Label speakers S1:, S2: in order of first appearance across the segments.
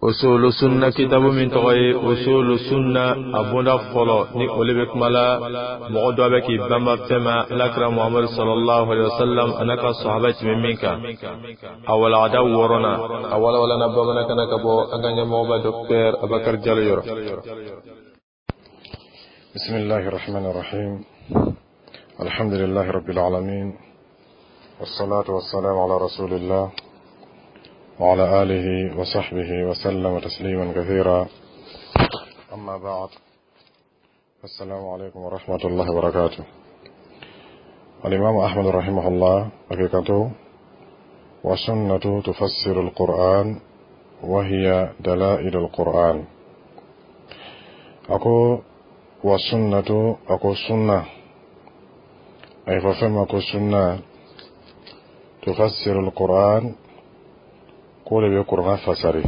S1: Usulu Sunna kitabu min tɔgɔ ye Usulu Sunna, a bonda fɔlɔ, ni olu bɛ kuma la mɔgɔ dɔ bɛ k'i banba fɛn ma Alakira Muhamadu sallallahu alaihi wasallam a n'a ka sahaba tɛmɛ min kan, a walagada wɔɔrɔnan, a walawalana bamanankan na ka bɔ an ka ɲɛmɔgɔba Docteur Abakari Jalo yɔrɔ.
S2: بسم الله الرحمن الرحيم. الحمد لله رب العالمين، والصلاة والسلام على رسول الله وعلى آله وصحبه وسلم تسليما كثيرا. أما بعد، السلام عليكم ورحمة الله وبركاته. الإمام أحمد رحمه الله حقيقته: والسنة تفسر القرآن وهي دلائل القرآن. أكو والسنة، أكو سنة، أي ففهم أكو سنة تفسر القرآن، k'o de bɛ kuranɛ fasari.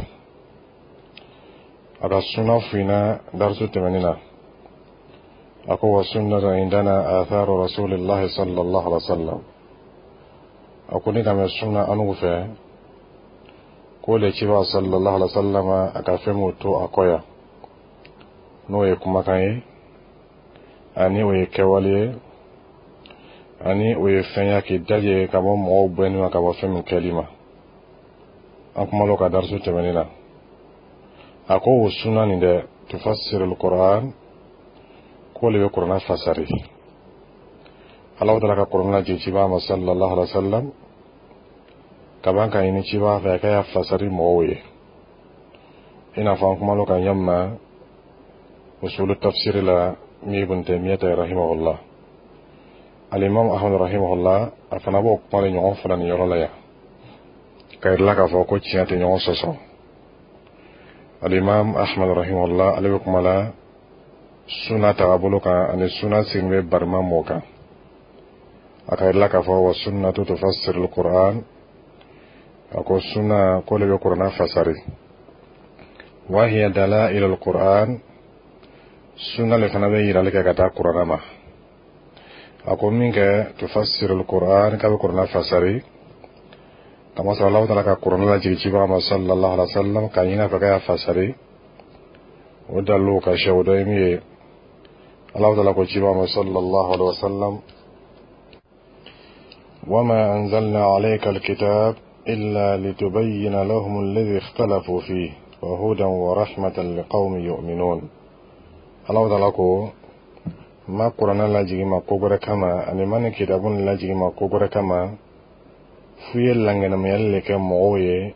S2: A ka suna fina darisu tɛmɛnin na, a ko: والسنة عندنا آثار رسول الله صلى الله عليه وسلم. A ko ni ka mɛn sunna anugu fɛ, k'o le ciba sallallahu alaihi wasallam a ka fɛn m'o to a kɔ yan, n'o ye kumakan ye, ani o ye kɛwale ye, ani o ye fɛn ya k'i daje ka bɔ mɔgɔw bɛnni ma, ka bɔ fɛn min kɛli ma. An kumalo ka darisu tɛmɛnin na, a ko o sunna nin dɛ, تفسر القرآن, k'o le bɛ kuranɛ fasari. Ala taala ka kuranɛ lajigin ciba ma sallallahu alaihi wa sallam, ka ban ka ɲini ciba fɛ a ka ya fasari mɔgɔw ye, i n'a fɔ an kumalo ka ɲɛ ma usulu tafsiri la min Ibn Taymiyyah rahimahullah. Alimam Ahmad rahimahullah, a fana b'o kuma de ɲɔgɔn fana nin yɔrɔ la yan, ka yirila k'a fɔ ko tiɲɛ tɛ ɲɔgɔn sɔsɔ. Alimam Ahmad rahimahullah, ale bɛ kuma la suna tagabolo kan, ani suna sigin bɛ barima mɔ kan. A ka yirila k'a fɔ: والسنة تفسر القرآن. A ko suna ko le bɛ kuranɛ fasari. وهي دلائل القرآن, suna le fana bɛ yirali kɛ ka taa kuranɛ ma. A ko min kɛ تفسر القرآن, k'a bɛ kuranɛ fasari, kamasɔrɔ Alahu taala ka kuranɛ lajigin cibaga ma sallallahu alaihi wa sallam k'a ɲini a fɛ k'a y'a fasari. O dalilu ka sɛ, o dɔ ye min ye, Alahu taala ko cibaga ma sallallahu alaihi wa sallam: وما أنزلنا عليك الكتاب إلا لتبين لهم الذي اختلفوا فيه وهدى ورحمة لقوم يؤمنون. Alahu taala ko ma kuranɛ lajigin ma ko wɛrɛ kama, ani ma nin kitabu nin lajigin ma ko wɛrɛ kama, f'u ye lankɛnɛmayali le kɛ mɔgɔw ye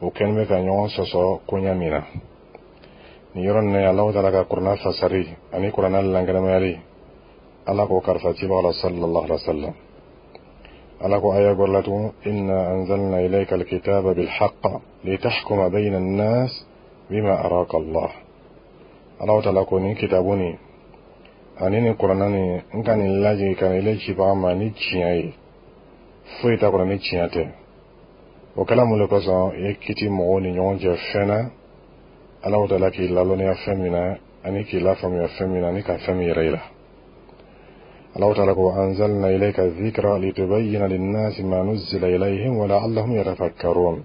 S2: o kɛlen bɛ ka ɲɔgɔn sɔsɔ koɲa min na. Nin yɔrɔ nin na, Alahu taala ka kuranɛ fasari ani kuranɛ lankɛnɛmayali, Ala k'o kalifa cibaga la sallallahu alaihi wa sallam. Ala ko aya gbɛrɛ la tugun: إنا أنزلنا إليك الكتاب بالحق لتحكم بين الناس بما أراك الله. Alahu taala ko nin kitabu nin ani nin kuranɛ nin, n ka nin lajigin ka na ile cibaga ma ni tiɲɛ ye, foyi t'a kɔnɔ ni tiɲɛ tɛ. O kɛla mun de kosɔn? I ye kiti mɔgɔw ni ɲɔgɔn cɛ fɛn na, Alahu taala k'i lalɔnniya fɛn min na, ani k'i lafaamuya fɛn min na, ani ka fɛn min yɛrɛ yira. Alahu taala ko: أنزلنا إليك الذكر لتبين للناس ما نزل إليهم ولعلهم يتفكرون.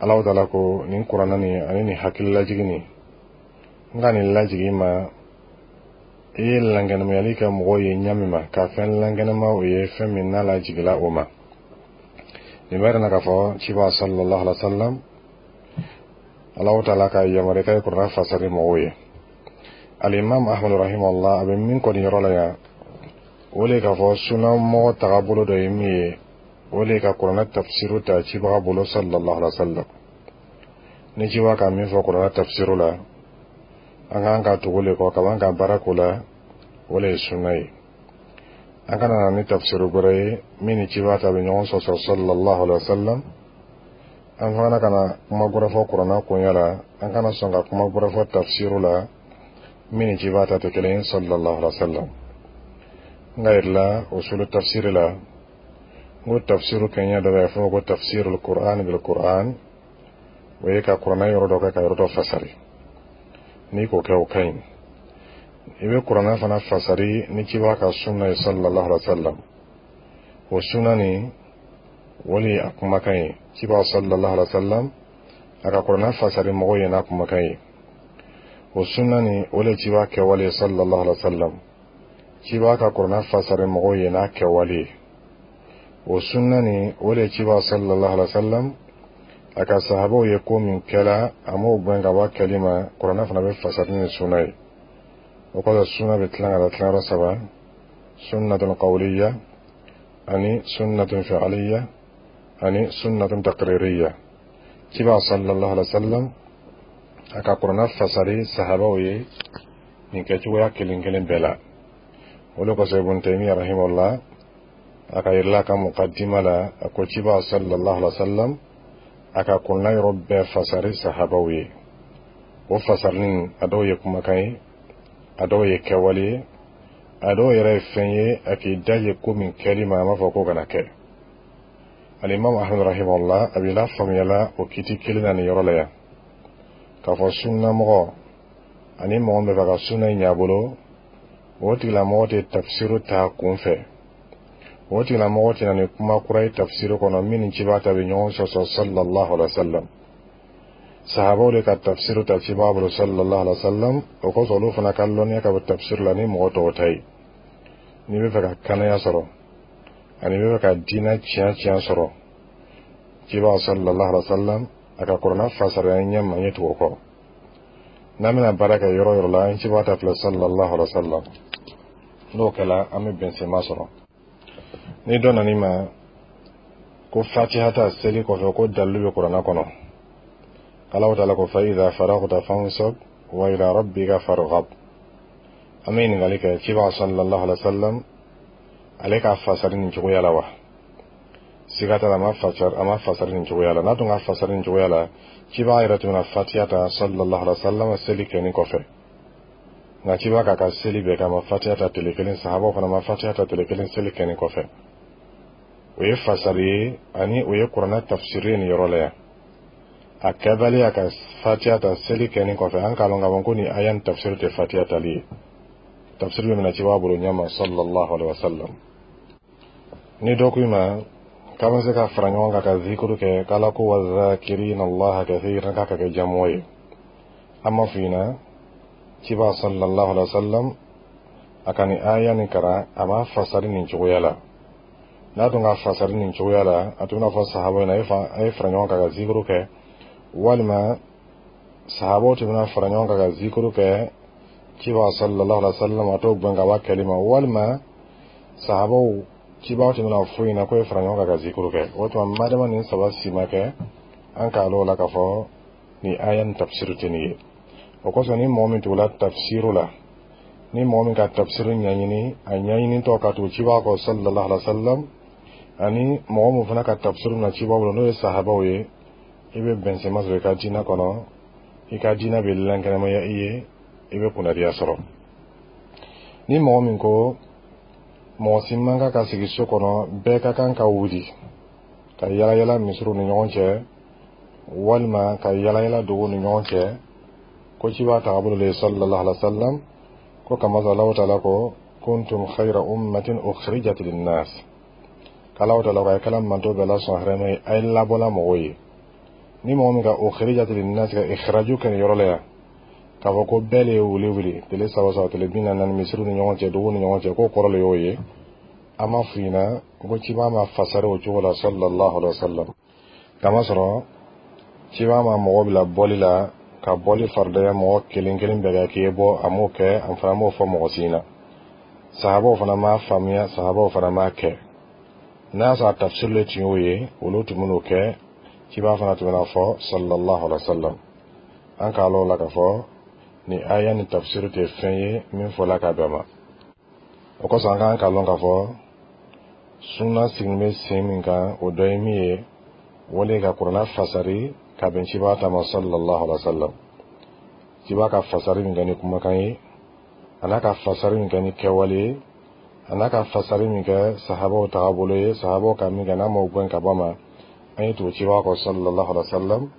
S2: Alahu taala ko nin kuranɛ nin ani nin hakililajigin nin, n ka nin lajigin ma, i ye lankɛnɛmayali kɛ mɔgɔw ye ɲa min ma, ka fɛn lankɛnɛma o ye fɛn min n'a lajigila o ma. Nin b'a yira k'a fɔ ciba sallallahu alaihi wa sallam, Alahu taala ka yamaruya k'a ye kuranɛ fasari mɔgɔw ye. Alimam Ahmad rahimahullah, a bɛ min kɔni yɔrɔ la yan, o de k'a fɔ sunamɔgɔ tagabolo dɔ ye min ye, o de ka kuranɛ tafsiru ta cibaga bolo sallallahu alaihi wa sallam. Ni cibaga ka min fɔ kuranɛ tafsiru la, an k'an ka tugu le kɔ ka ban ka baara k'o la, o de ye sunna ye. An kana na ni tafsiru wɛrɛ ye min ni cibaga ta bɛ ɲɔgɔn sɔsɔ sallallahu alaihi wa sallam. An fana kana kuma wɛrɛ fɔ kuranɛ koɲɛ la, an kana sɔn ka kuma wɛrɛ fɔ tafsiru la min ni cibaga ta tɛ kelen ye sallallahu alaihi wa sallam. N ka yirila usulu tafsiri la, n ko tafsiru kɛɲɛ dɔ bɛ yen, a fɔ ko تفسير القرآن بالقرآن, o ye ka kuranɛ yɔrɔ dɔ kɛ ka yɔrɔ dɔ fasari. N'i k'o kɛ, o ka ɲi. I bɛ kuranɛ fana fasari ni cibaga ka sunna ye sallallahu alaihi wa sallam. O sunna nin, o de ye a kumakan ye cibaga sallallahu alaihi wa sallam. A ka kuranna fasari mɔgɔw ye n'a kumakan ye. O sunna nin, o le ciba kɛwale sallallahu alaihi wa sallam. Ciba ka kuranna fasari mɔgɔw ye n'a kɛwale ye. O sunna nin, o le ciba sallallahu alaihi wa sallam a ka sahabaw ye ko min kɛla, a m'o gɛn ka bɔ a kɛli ma. Kuranna fana bɛ fasari ni sunna ye. O kɔfɛ, sunna bɛ tilan ka taa tilayɔrɔ saba: sunnatun qawliya, ani sunnatun fi'liya, ani sunnatun taqririya. Ciba sallallahu alaihi wa sallam a ka kuranna fasari sahabaw ye nin kɛcogoya kelen kelen bɛɛ la. O de kosɔn, Ibn Taymiya rahimahullah, a ka yirila ka muqaddima la, a ko ciba sallallahu alaihi wa sallam a ka kuranna yɔrɔ bɛɛ fasari sahabaw ye. O fasarinin, a dɔw ye kumakan ye, a dɔw ye kɛwale ye, a dɔw yɛrɛ ye fɛn ye a k'i da ye ko min kɛli ma, a m'a fɔ ko kana kɛ. Alimami Ahmad rahimahullah a b'i la faamuyala o kiti kelen na nin yɔrɔ la yan, k'a fɔ sunnamɔgɔ ani mɔgɔ min bɛ fɛ ka sunna in ɲɛ a bolo, o tigilamɔgɔ tɛ tafsiru ta kun fɛ. O tigilamɔgɔ tɛ na ni kuma kura ye tafsiru kɔnɔ min ni ciba ta bɛ ɲɔgɔn sɔsɔ sallallahu alaihi wa sallam. Sahabaw de ka tafsiru ta ciba bolo sallallahu alaihi wa sallam. O kosɔn, olu fana ka lɔnniya ka bɔ tafsiru la ni mɔgɔ tɔw ta ye. N'i bɛ fɛ ka kanaya sɔrɔ ani i bɛ fɛ ka diinɛ tiɲɛ tiɲɛ sɔrɔ, ciba sallallahu alaihi wa sallam a ka kuranna fasariya ɲɛ ma ɲɛ tugu o kɔ. N'an bɛna baara kɛ yɔrɔ yɔrɔ la, an ciba ta filɛ sallallahu alaihi wa sallam. N'o kɛla, an bɛ bɛnsenma sɔrɔ. Ni dɔ nan'i ma ko fatiha ta seli kɔfɛ, ko dalilu bɛ kuranna kɔnɔ, Ala taala ko fa idha faragta fansab wa ila rabbika farghab, an bɛ ɲininkali kɛ: ciba sallallahu alaihi wa sallam ale ka fasari nin cogoya la wa? Siga t'a la, a ma fasari nin cogoya la. N'a tun ka fasari nin cogoya la, ciba yɛrɛ tun bɛna fatiha ta sallallahu alaihi wa sallam seli kɛni kɔfɛ. Nka ciba k'a ka seli bɛɛ kɛ, a ma fatiha ta tile kelen. Sahabaw fana ma fatiha ta tile kelen seli kɛni kɔfɛ. O ye fasari ye ani o ye kuranɛ tafsiri ye nin yɔrɔ la yan. A kɛbaliya ka fatiha ta seli kɛni kɔfɛ, an k'a lɔn k'a fɔ ko nin aya nin tafsiri tɛ fatiha tali ye. Tafsiri bɛ minɛ ciba bolo ɲɛma sallallahu alaihi wa sallam. Ni dɔ ko i ma k'an bɛ se ka fara ɲɔgɔn kan ka zikuru kɛ, k'Ala ko wa zakirina Allaha kathiran, k'a ka kɛ jamuwa ye, an m'a f'i ɲɛna ciba sallallahu alaihi wa sallam a ka nin aya nin karan, a m'a fasari nin cogoya la. N'a tun ka fasari nin cogoya la, a tun bɛna fɔ sahabaw ɲɛna a ye fara ɲɔgɔn kan ka zikuru kɛ, walima sahabaw tun bɛna fara ɲɔgɔn kan ka zikuru kɛ, ciba sallallahu alaihi wa sallam a t'o gɛn ka bɔ a kɛli ma, walima sahabaw cibaw tun bɛna fɔ ɲɛna ko ye fara ɲɔgɔn kan ka zikuru kɛ. O tuma, madama nin saba si ma kɛ, an k'a lɔn o la k'a fɔ nin aya nin tafsiru tɛ nin ye. O kosɔn, ni mɔgɔ min tugula tafsiru la, ni mɔgɔ min ka tafsiru ɲɛɲini, a ɲɛɲinitɔ ka tugu ciba kɔ sallallahu alaihi wa sallam, ani mɔgɔ min fana ka tafsiru na ciba bolo, n'o ye sahabaw ye, i bɛ bɛnsɛma sɔrɔ i ka diinɛ kɔnɔ, i ka diinɛ bɛ lankɛnɛmaya i ye, i bɛ kunnadiya sɔrɔ. Ni mɔgɔ min ko mɔgɔ si man kan ka sigi so kɔnɔ, bɛɛ ka kan ka wuli ka yala yala misiriw ni ɲɔgɔn cɛ, walima ka yala yala duguw ni ɲɔgɔn cɛ, ko ciba tagabolo le sallallahu alaihi wa sallam, ko kamasɔrɔ Alahu taala ko kuntum khayra ummatin ukhrijat linnas, k'Alahu taala ko a ye kɛla manto bɛɛ la sɔn hɛrɛma ye, a ye labɔla mɔgɔw ye. Ni mɔgɔ min ka ukhrijat linnas ka ikhraju kɛ nin yɔrɔ la yan, k'a fɔ ko bɛɛ le ye wuli wuli tile saba saba, tile 44, misiriw ni ɲɔgɔn cɛ, duguw ni ɲɔgɔn cɛ, k'o kɔrɔ le y'o ye, an m'a f'u ɲɛna ko ciba ma fasari o cogo la sallallahu alaihi wa sallam. Kamasɔrɔ ciba ma mɔgɔ bila bɔli la ka bɔli faridaya mɔgɔ kelen kelen bɛɛ kɛ k'i ye bɔ, a m'o kɛ. An fana m'o fɔ mɔgɔ si ɲɛna. Sahabaw fana m'a faamuya, sahabaw fana m'a kɛ. N'a y'a sɔrɔ a tafsiri le tun y'o ye, olu tun bɛn'o kɛ, ciba fana tun bɛna fɔ sallallahu alaihi wa sallam. An k'a lɔn o la k'a fɔ nin aya ni tafsiri tɛ fɛn ye min fɔla ka bɛn ma. O kosɔn, an k'an k'a lɔn k'a fɔ sunna sigilen bɛ sen min kan, o dɔ ye min ye, o de ka kuranna fasari ka bɛn ciba ta ma sallallahu alaihi wa sallam. Ciba ka fasari min kɛ ni kumakan ye, a n'a ka fasari min kɛ ni kɛwale ye, a n'a ka fasari min kɛ sahabaw tagabolo ye, sahabaw ka min kɛ, n'a m'o gɛn ka bɔ a ma, an ye tugu ciba kɔ sallallahu alaihi wa sallam,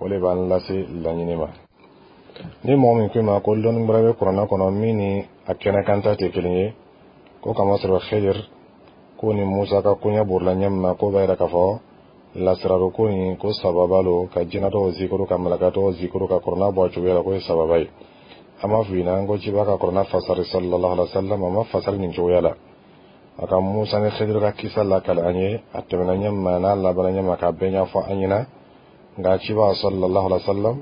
S2: o de b'an lase laɲini ma. Ni mɔgɔ min ko i ma ko lɔnni wɛrɛ bɛ kuranna kɔnɔ min ni a kɛnɛkanta tɛ kelen ye, ko kamasɔrɔ Khidir ko ni Musa ka koɲɛ borila ɲɛ min ma, k'o b'a yira k'a fɔ Lasiraro ko nin ko sababa lo, ka jinɛ tɔgɔ zikuru, ka malaka tɔgɔ zikuru, ka kurana bɔ a cogoya la, ko ye sababa ye. An b'a f'i ɲɛna ko ciba ka kurana fasari sallallahu alaihi wa sallam, a ma fasari nin cogoya la. A ka Musa ni Khidiru ka kisa lakali an ye, a tɛmɛna ɲɛ ma n'a labanna ɲɛ ma, k'a bɛɛ ɲɛfɔ an ɲɛna. Nka ciba sallallahu alaihi wa sallam,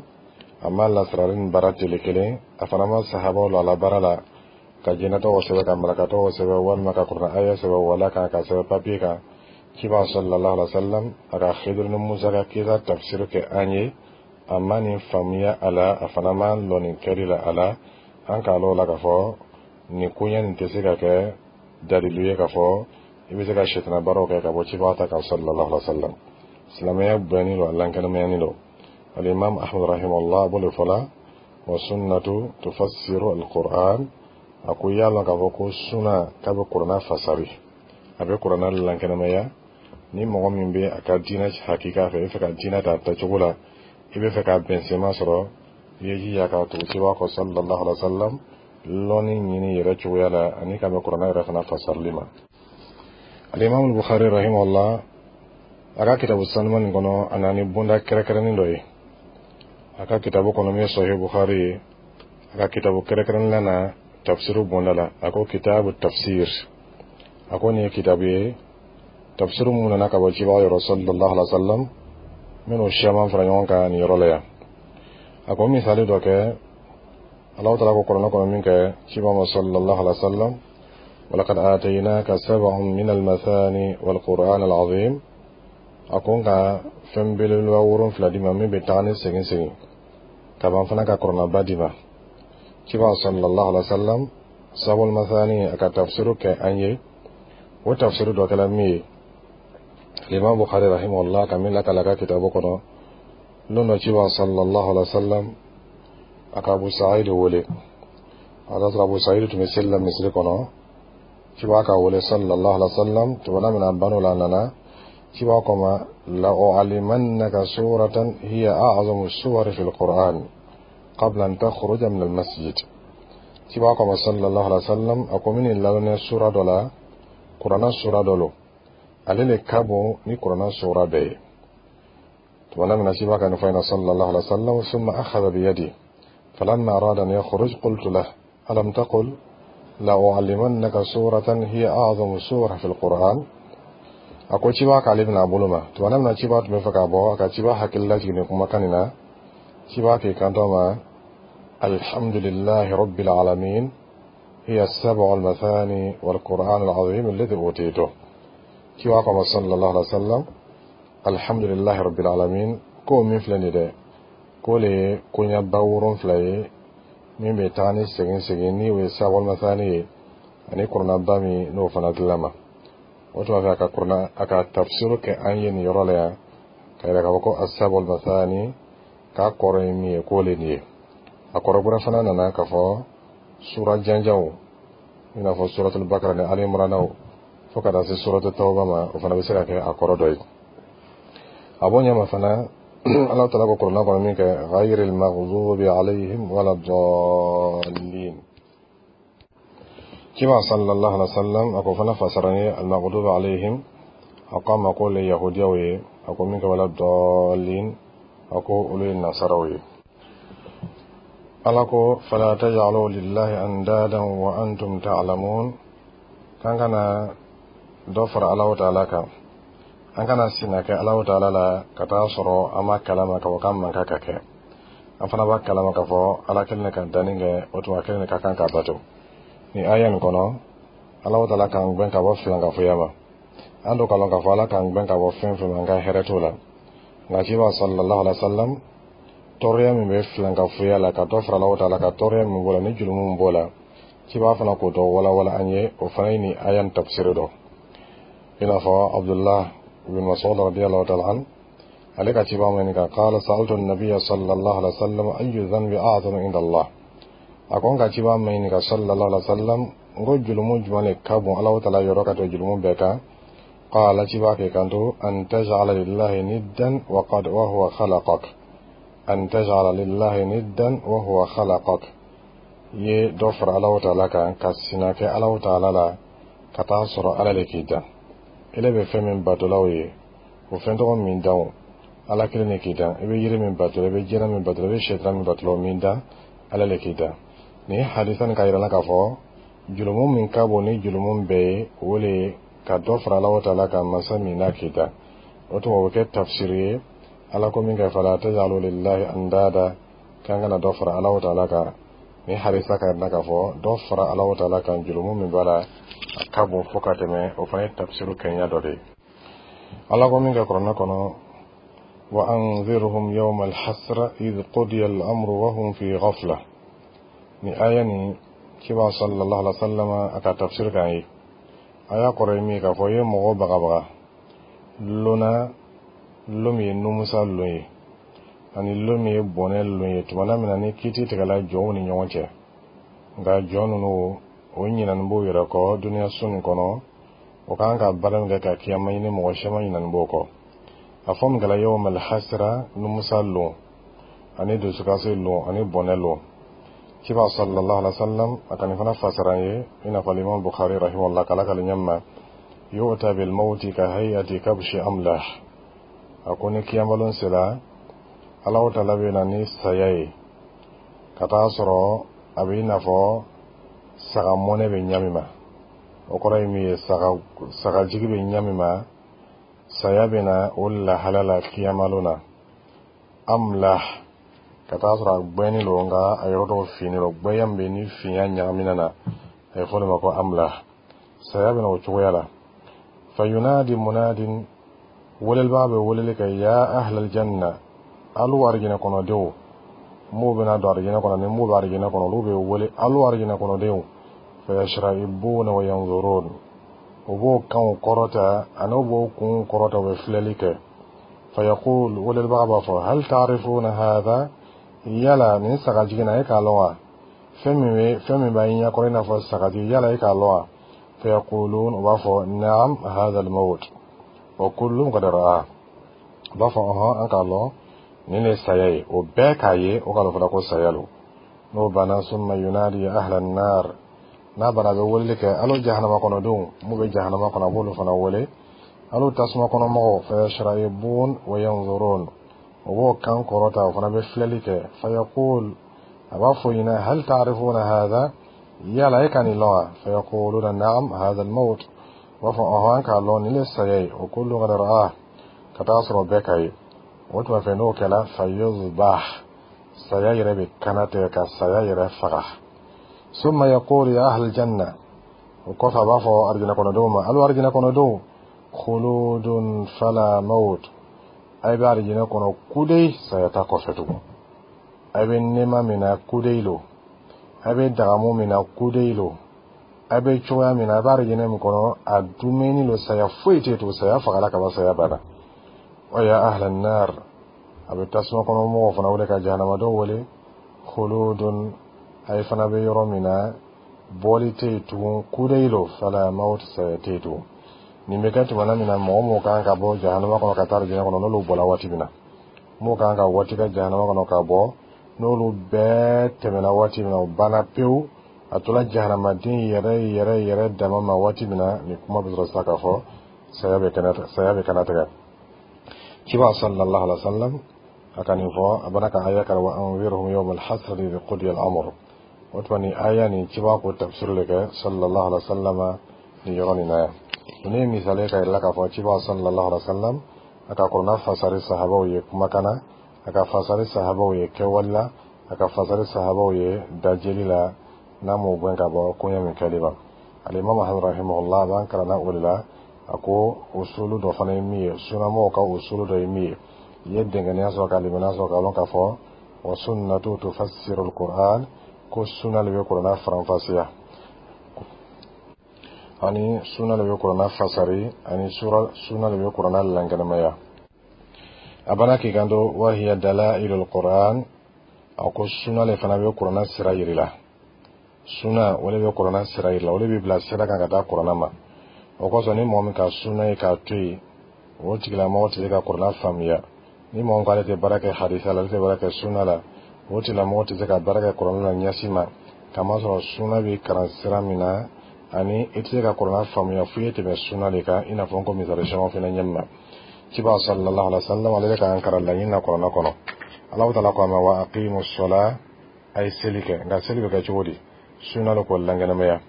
S2: a ma lasirari ni baara tele kelen, a fana ma sahabaw la a la baara la ka jinɛ tɔgɔ sɛbɛn, ka malaka tɔgɔ sɛbɛn, walima ka kurana aya sɛbɛn, wala kan ka sɛbɛn papiye kan. Ciba sallallahu alaihi wa sallam, a ka Khidiru ni Musa ka kisa tafsir kɛ an ye, a ma nin faamuya a la, a fana ma lɔ nin kɛli la a la. An k'a lɔ la k'a fɔ nin koɲɛ nin tɛ se ka kɛ dalilu ye k'a fɔ i bɛ se ka sɛtana baaraw kɛ ka bɔ ciba ta kan sallallahu alaihi wa sallam. Silamɛya bonyani don, a lankɛnɛmayani don. Alimam Ahmad rahimahullah b'o de fɔ la: wa sunnatu tufassiru alquran. A ko y'a lɔn k'a fɔ ko suna k'a bɛ kuranna fasari, a bɛ kuranna lankɛnɛmaya. Ni mɔgɔ min bɛ a ka diinɛ hakika fɛ, i bɛ fɛ ka diinɛ ta tacogo la, i bɛ fɛ ka bɛnsenma sɔrɔ, i ye jija ka tugu ciba kɔ sallallahu alaihi wa sallam, lɔnni ɲini yɛrɛ cogoya la, ani ka bɛn kuranna yɛrɛ fana fasarili ma. Alimami Bukhari rahimahullah, a ka kitabu sanuman nin kɔnɔ, a nana ni bonda kɛrɛnkɛrɛnnen dɔ ye a ka kitabu kɔnɔ min ye Sahih Bukhari ye. A ka kitabu kɛrɛnkɛrɛnnen na, tafsiru bonda la, a ko kitabu tafsir. A ko nin ye kitabu ye, tafsiru mun nana ka bɔ cibaga yɔrɔ sallallahu alaihi wa sallam, minnu siyaman fara ɲɔgɔn kan nin yɔrɔ la yan. A ko misali dɔ kɛ, Alahu taala ko kuranɛ kɔnɔ min kɛ ciba ma sallallahu alaihi wa sallam: walaqad ataynaka sab'an min almathani walquran alazim. A ko n ka fɛn belebeleba 7 d'i ma min bɛ taga ni segin segin ka ban fana, ka kuranɛba d'i ma. Ciba sallallahu alaihi wa sallam, sabul mathani, a ka tafsiru kɛ an ye. O tafsiru dɔ kɛla min ye, Imam Bukhari rahimahullah ka min lakala ka kitabu kɔnɔ, lon dɔ ciba sallallahu alaihi wa sallam, a ka Abu Sa'id wele. A y'a sɔrɔ Abu Sa'id tun bɛ seli la misiri kɔnɔ. Ciba ka wele sallallahu alaihi wa sallam. Tumana min na a ban'o la, a nana, ciba ko ma: la u'allimannaka suratan hiya a'zamu suwari fil Qur'an qabla an takhruja min al-masjid. Ciba ko ma sallallahu alaihi wa sallam, a ko min lalɔnniya sura dɔ la, kuranna sura dɔ lo, ale le ka bon ni kuranna sura bɛɛ ye. Tumana min na ciba ka nin fɔ ɲɛna sallallahu alaihi wa sallam, summa akhadha biyadi falamma arada an yakhruj, qultu lah: alam taqul la u'allimannaka suratan hiya a'zamu sura fil Qur'an? A ko ciba k'ale bɛna a bolo ma. Tumana min na ciba tun bɛ fɛ ka bɔ, a ka ciba hakili lajigin nin kumakan nin na. Ciba k'i kanto ma: alhamdulillahi rabbil alamin, hiya sab'u al-mathani wal Qur'an al-azim alladhi utituh. Ciba ko ma sallallahu alaihi wa sallam: alhamdulillahi rabbil alamin, ko min filɛ nin dɛ, k'o le ye koɲaba 7 ye min bɛ taga ni segin segin, ni o ye sab'ul mathani ye, ani kuranaba min n'o fana dilan ma. O tuma fɛ, a ka kurana, a ka tafsiru kɛ an ye nin yɔrɔ la yan, ka yira k'a fɔ ko asabul mathani k'a kɔrɔ ye min ye, k'o le nin ye. A kɔrɔ wɛrɛ fana nana k'a fɔ sura janjanw, i n'a fɔ suratul Bakara ni Ali Imranaw, fo ka taa se suratul Tawba ma, o fana bɛ se ka kɛ a kɔrɔ dɔ ye. A b'o ɲɛma fana, Ala taala ko kurana kɔnɔ min kɛ: ghayril maghdubi alayhim wala dallin. Ciba sallallahu alaihi wa sallam, a ko fana fasara ni al maghdubi alayhim, a ko a ma ko le yahudiyaw ye. A ko min kɛ wala dallin, a ko olu ye nasaraw ye. Ala ko: fala taj'alu lillahi andadan wa antum ta'lamun. K'an kana dɔ fara Alahu taala kan, an kana sina kɛ Alahu taala la ka taa sɔrɔ an ma kalama k'a fɔ k'an man kan ka kɛ. An fana b'a kalama k'a fɔ Ala kelen de ka danni kɛ, o tuma kelen de ka kan ka bato. Nin aya nin kɔnɔ, Alahu taala k'an gbɛn ka bɔ filankafoya ma. An do k'a lɔn k'a fɔ Ala k'an gbɛn ka bɔ fɛn fɛn ma, an ka hɛrɛ t'o la. Nka ciba sallallahu alaihi wa sallam, tɔɔrɔya min bɛ filankafoya la, ka dɔ fara Alahu taala ka tɔɔrɔya min b'o la ni jurumu min b'o la, ciba fana k'o dɔ walawala an ye. O fana ye nin aya nin tafsiri dɔ, i n'a fɔ Abdullah ibn Mas'ud radiyallahu ta'ala an, ale ka ciba ma ɲininka: qala sa'altu an-nabiyya sallallahu alaihi wa sallam ayyu dhanbi a'zamu inda Allah. A ko n ka ciba ma ɲininka sallallahu alaihi wa sallam, n ko jurumu jumɛn de ka bon Alahu taala yɔrɔ ka tɛmɛ jurumu bɛɛ kan? Qala, ciba k'i kanto: an taj'ala lillahi niddan wa qad wa huwa khalaqak, an taj'ala lillahi niddan wa huwa khalaqak. I ye dɔ fara Alahu taala kan, ka sina kɛ Alahu taala la ka taa sɔrɔ Ala le k'i dan, ele bɛ fɛn min batolaw ye. O fɛn tɔgɔ min dan, o Ala kelen de k'i dan. I bɛ yiri min bato, i bɛ jinɛ min bato, i bɛ sɛtana min bato, o min dan, Ala le k'i dan. Nin ye hadisa nin k'a yira la k'a fɔ julumu min ka bon ni julumu bɛɛ ye, o le ye ka dɔ fara Ala taala kan, masa min n'a k'i dan. O tuma, o bɛ kɛ tafsiri ye Ala ko min kɛ fala tajalu lillahi andada, k'an kana dɔ fara Ala taala kan. Ni hadisa ka yira k'a fɔ dɔ fara Ala taala kan, julumu min b'a la, a ka bon fo ka tɛmɛ. O fana ye tafsiru kɛɲɛ dɔ de ye. Ala ko min kɛ kuranɛ kɔnɔ: wa anzirhum yawma alhasra idh qudiya al-amru wa hum fi ghafla. Ni aya ni, kiba sallallahu alaihi wasallam a ka tafsir kan ye. Aya kɔrɔ ye min ye, k'a fɔ i ye mɔgɔw bagabaga lona, lon min ye numusa lon ye ani lon min ye bɔnɛ lon ye, tumana min na ni kiiti tigɛla jɔnw ni ɲɔgɔn cɛ. Nka jɔn ninnu, o ɲinani b'o yɛrɛ kɔ duniya so nin kɔnɔ. O kan ka baara min kɛ ka kiyama ɲini, mɔgɔ siman ɲinani b'o kɔ. A fɔ min kɛla yawmal hasra, numusa lon ani dusukasi lon ani bɔnɛ lon. Kiba sallallahu alaihi wasallam a ka nin fana fasara ye, i n'a fɔ Imam Bukhari rahimahullah k'ala k'ale ɲɛma: yu'ta bil mawti ka hay'ati kabshi amlah. A ko ni kiyamalon sera, Alahu taala bɛ na ni saya ye ka taa sɔrɔ a bɛ i n'a fɔ saga mɔnɛ bɛ ɲa min ma. O kɔrɔ ye min ye, saga sagajigi bɛ ɲa min ma, saya bɛ na o lahala la kiyamalon na. Amlah, ka taa sɔrɔ a gbɛnnen don, nka a yɔrɔ dɔw finnen don. Gbɛya min bɛ ni finya ɲagamina na, a ye fɔ o de ma ko amlah. Saya bɛ na o cogoya la. Fayunadi munadin, welelibaga bɛ weleli kɛ: ya ahlal janna, alu arijinɛ kɔnɔdenw. M'u bɛna don arijinɛ kɔnɔ ni m'u bɛ arijinɛ kɔnɔ, olu bɛ wele: alu arijinɛ kɔnɔdenw. Fayashra'ibuna wa yanzurun, u b'o kanw kɔrɔta ani u b'o kunw kɔrɔta, u bɛ filɛli kɛ. Fayaqul, welelibaga b'a fɔ: hal ta'rifuna hadha? Yala nin sagajigi na, e k'a lɔn wa? Fɛn min bɛ, fɛn min b'a ɲɛkɔrɔ i n'a fɔ sagajigi, yala e k'a lɔn wa? Fayaqulun, u b'a fɔ: na'am, hadha al-maut wa kullun qad ra'a. U b'a fɔ: ɔhɔn, an k'a lɔn, nin de ye saya ye. O bɛɛ k'a ye, o k'a lɔn fana ko saya lo. N'o banna, summa yunadi ahla an-nar, n'a banna, a bɛ weleli kɛ: alo jahanama kɔnɔdenw. Mun bɛ jahanama kɔnɔ, a b'olu fana wele: alo tasuma kɔnɔ mɔgɔw. Fayashra'ibun wa yanzurun, o b'o kan kɔrɔta, o fana bɛ filɛli kɛ. Fayaqul, a b'a fɔ ɲinɛ: hal ta'rifuna hadha? Yala e ka nin lɔn wa? Fayaquluna na'am, hadha al-maut. U b'a fɔ: ɔhɔn, an k'a lɔn, nin de saya ye. O kullu qad ra'ah, ka taa sɔrɔ bɛɛ ka ye. O tuma fɛ, n'o kɛla, fayuzbah, saya yɛrɛ bɛ kana tigɛ ka saya yɛrɛ faga. Summa yaqulu ya ahlal janna, o kɔfɛ a b'a fɔ arijinɛ kɔnɔdenw ma: alo arijinɛ kɔnɔdenw, khuludun fala maut, a bɛ arijinɛ kɔnɔ kudeyi, saya t'a kɔfɛ tugun. A bɛ nɛɛma min na, kudeyi lo. A bɛ dagamu min na, kudeyi lo. A bɛ cogoya min na, a bɛ arijinɛ min kɔnɔ, a dumuni lo, saya foyi tɛ to, saya fagala ka ban, saya banna. Wa ya ahlan nar, a bɛ tasuma kɔnɔ mɔgɔw fana wele, ka jahanamadenw wele: khuludun, a ye fana bɛ yɔrɔ min na, bɔli tɛ yen tugun, kudeyi lo, fala maut, saya tɛ yen tugun. Nin bɛ kɛ tumana min na, mɔgɔ mɔgɔ kan ka bɔ jahanama kɔnɔ ka taa arijinɛ kɔnɔ, n'olu bɔra waati min na, m'o kan ka waati kɛ jahanama kɔnɔ ka bɔ, n'olu bɛɛ tɛmɛna waati min na, o banna pewu, a tora jahanamaden yɛrɛ yɛrɛ yɛrɛ dama ma waati min na, nin kuma bɛ sɔrɔ sisan k'a fɔ saya bɛ kana tigɛ. Kiba sallallahu alaihi wa sallam a ka nin fɔ, a bana ka aya kara: wa anzirhum yawma alhasrati idh qudiya al-amr. O tuma, nin aya nin, kiba ko tafsir le kɛ sallallahu alaihi wa sallam nin yɔrɔ nin na yan. Nin ye misali ka yira k'a fɔ kiba sallallahu alaihi wa sallam a ka kuranɛ fasari sahabaw ye kumakan na, a ka fasari sahabaw ye kɛwale la, a ka fasari sahabaw ye dajeli la, n'a m'o gɛn ka bɔ koɲɛ min kɛli ma. Alimami Muhammad rahimahullah b'an kalanna o de la. A ko usulu dɔ fana ye min ye, sunamɔgɔw ka usulu dɔ ye min ye, i ye dɛngɛniya sɔrɔ ka limaniya sɔrɔ k'a lɔn k'a fɔ wa sunnatu tufassiru alquran, ko sunna de bɛ kuranɛ faranfasiya, ani sunna de bɛ kuranɛ fasari, ani sunna de bɛ kuranɛ lankɛnɛmaya. A bana k'i kanto: wa hiya dalailul quran. A ko sunna de fana bɛ kuranɛ sira yiri la. Sunna, o de bɛ kuranɛ sira yiri la, o de bɛ bila sira kan ka taa kuranɛ ma. O kosɔn, ni mɔgɔ min ka sunna ye k'a to yen, o tigilamɔgɔ tɛ se ka kuranɛ faamuya. Ni mɔgɔ min k'ale tɛ baara kɛ hadisa la, ale tɛ baara kɛ sunna la, o tigilamɔgɔ tɛ se ka baara kɛ kuranɛ la ɲɛsi ma, kamasɔrɔ sunna bɛ kalan sira min na, ani i tɛ se ka kuranɛ faamuya fo i ye tɛmɛ sunna de kan. I n'a fɔ n ko misali caman fana ɲɛ ma. Ciba sallallahu alaihi wasallam ale bɛ k'an karan laɲini na kuranna kɔnɔ. Alahu taala ko a ma wa aqimu sola, a ye seli kɛ. Nka seli bɛ kɛ cogo di? Sunna lo k'o lankɛnɛmaya.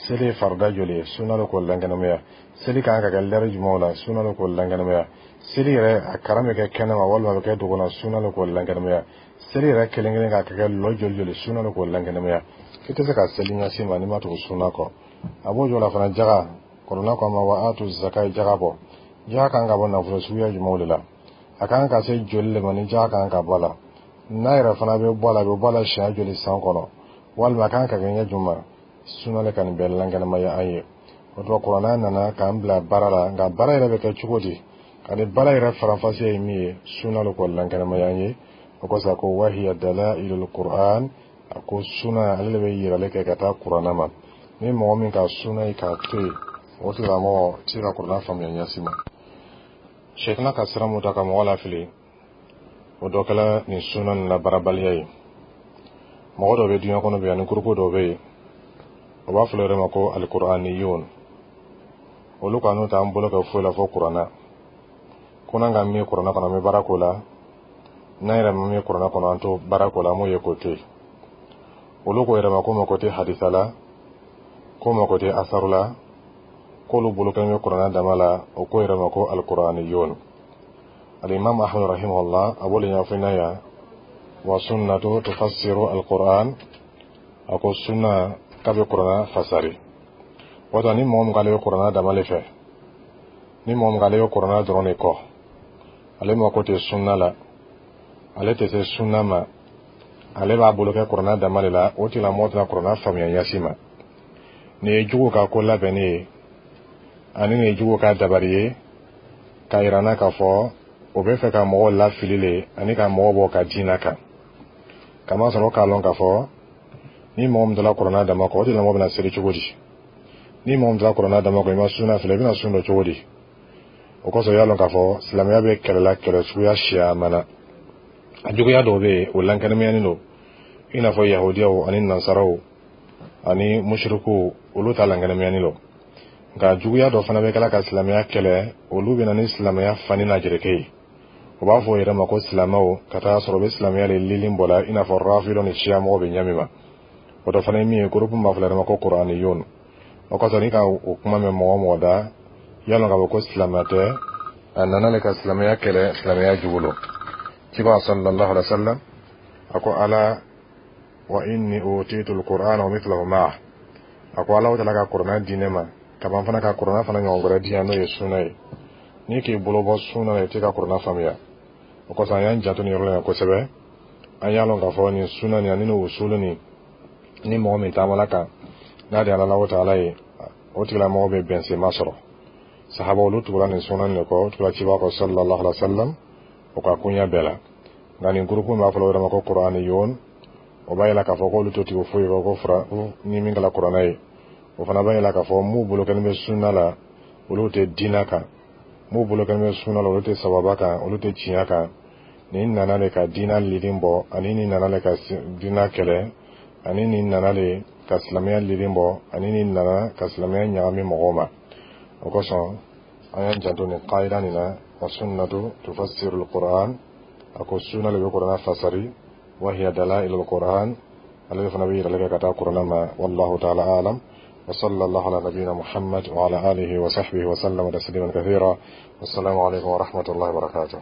S2: Seli ye farida joli ye? Sunna lo k'o lankɛnɛmaya. Seli kan ka kɛ lɛri jumɛnw la? Sunna lo k'o lankɛnɛmaya. Seli yɛrɛ a karan bɛ kɛ kɛnɛma walima a bɛ kɛ dogo la? Sunna lo k'o lankɛnɛmaya. Seli yɛrɛ kelen kelen ka kɛ lɔ joli joli? Sunna lo k'o lankɛnɛmaya. I tɛ se ka seli ɲɛsi ma n'i ma tugu sunna kɔ. A b'o jɔ la fana jaga. Kuranna ko a ma wa atu zaka, jaga bɔ. Jaga kan ka bɔ nafolo suguya jumɛnw de la? A kan ka se joli de ma ni jaga kan ka bɔ a la? N'a yɛrɛ fana bɛ bɔ a la, a bɛ bɔ a la siɲɛ joli san kɔnɔ, walima a kan ka kɛ ɲɛ jumɛn? Sunna le ka nin bɛɛ lankɛnɛmaya an ye. O tuma kuranna nana k'an bila baara la, nka baara yɛrɛ bɛ kɛ cogo di ani baara yɛrɛ faranfasiya ye min ye, sunna le k'o lankɛnɛmaya an ye. O kosɔn a ko wahiya dalailul qur'an, a ko sunna ale de bɛ yirali kɛ ka taa kuranna ma. Ni mɔgɔ min ka sunna ye k'a to yen, o tigilamɔgɔ tɛ se ka kuranna faamuya ɲɛsi ma. Sɛtana ka sira mun ta ka mɔgɔ lafili, o dɔ kɛla nin sunna nin labaarabaliya ye. Mɔgɔ dɔw bɛ duɲa kɔnɔ bi, ani gurupu dɔw bɛ yen, o b'a fɔ yɛrɛ ma ko alikuraniyun. Olu ka n'u t'an bolo kɛ foyi la fo kuranna. Ko n'an ka min kuranna kɔnɔ, an bɛ baara k'o la. N'an yɛrɛ ma min kuranna kɔnɔ, an t'o baara k'o la, an b'o ye k'o to yen. Olu ko yɛrɛ ma ko mako tɛ hadisa la, ko mako tɛ asaru la, k'olu bolo kɛlen bɛ kuranna dama la. O ko yɛrɛ ma ko alikuraniyun. Alimam Ahmad rahimahullah a b'o de ɲɛfɔ n'a yan wa sunnatu tufassiru alquran, a ko sunna k'a bɛ kuranna fasari. Wato ni mɔgɔ min k'ale bɛ kuranna dama le fɛ, ni mɔgɔ min k'ale bɛ kuranna dɔrɔn de kɔ, ale mako tɛ sunna la, ale tɛ se sunna ma, ale b'a bolo kɛ kuranna dama de la, o tigilamɔgɔ tɛna kuranna faamuya ɲɛsi ma. Nin ye jugu ka ko labɛnni ye, ani nin ye jugu ka dabari ye k'a yira n na k'a fɔ o bɛ fɛ ka mɔgɔw lafili le ani ka mɔgɔw bɔ ka diinɛ kan. Kamasɔrɔ k'a lɔn k'a fɔ ni mɔgɔ min dala kuranna dama kɔ, o tigilamɔgɔ bɛna seli cogo di? Ni mɔgɔ min dala kuranna dama kɔ, i ma sunna filɛ, i bɛna sun dɔ cogo di? O kosɔn i y'a lɔn k'a fɔ silamɛya bɛ kɛlɛ la, kɛlɛ suguya siyaman na. A juguya dɔw bɛ yen, o lankɛnɛmayanen don, i n'a fɔ yahudiyaw ani nansaraw ani musirikuw, olu ta lankɛnɛmayanen don. Nka juguya dɔ fana bɛ kɛla ka silamɛya kɛlɛ, olu bɛ na ni silamɛya fani n'a jereke ye. O b'a fɔ o yɛrɛ ma ko silamɛw, ka taa sɔrɔ u bɛ silamɛya de lilin bɔ la, i n'a fɔ rafidɔ ni siyamɔgɔw bɛ ɲɛ min ma. O dɔ fana ye min ye, gurupu b'a fɔ yɛrɛ ma ko kuraniyun. O kosɔn n'i ka o kuma mɛn mɔgɔ o mɔgɔ da, y'a lɔn k'a fɔ ko silamɛ tɛ, a nana le ka silamɛya kɛlɛ, silamɛya jugu lo. Ciba sallallahu alaihi wa sallam a ko ala wa inni utitu alquran wa mithluhu ma'a, a ko Ala taala ka kuranna di ne ma, ka ban fana ka kuranna fana ɲɔgɔn wɛrɛ di yan, n'o ye sunna ye. N'i k'i bolo bɔ sunna la, i tɛ ka kuranna faamuya. O kosɔn an y'an janto nin yɔrɔ la yan kosɛbɛ. An y'a lɔn k'a fɔ nin sunna nin ani nin usulu nin, ni mɔgɔ min taamala kan n'a de Ala taala ye, o tigilamɔgɔ bɛ bɛnsenma sɔrɔ. Sahaba olu tugura nin sunna nin de kɔ, o tugura ciba kɔ sallallahu alaihi wa sallam, o ka koɲɛ bɛɛ la. Nka nin gurupu b'a fɔ o yɛrɛ ma ko kuraniyun, o b'a yira k'a fɔ k'olu to tigi foyi kɔ ko fura ni min kɛra kuranna ye. O fana b'a yira k'a fɔ m'u bolo kɛlen bɛ sunna la, olu tɛ diinɛ kan. M'u bolo kɛlen bɛ sunna la, olu tɛ sababa kan, olu tɛ tiɲɛ kan. Nin nana de ka diinɛ lilin bɔ, ani nin nana de ka diinɛ kɛlɛ, ani nin nana de ka silamɛya lilin bɔ, ani nin nana ka silamɛya ɲagami mɔgɔw ma. O kosɔn an y'an janto nin qaida nin na wa sunnatu tufassiru alquran, a ko sunna le bɛ kuranna fasari, wa hiya dalailu alquran, ale fana bɛ yirali kɛ ka taa kuranna ma. Wallahu ta'ala alam. وصلى الله على نبينا محمد وعلى آله وصحبه وسلم تسليما كثيرا. والسلام عليكم ورحمة الله وبركاته.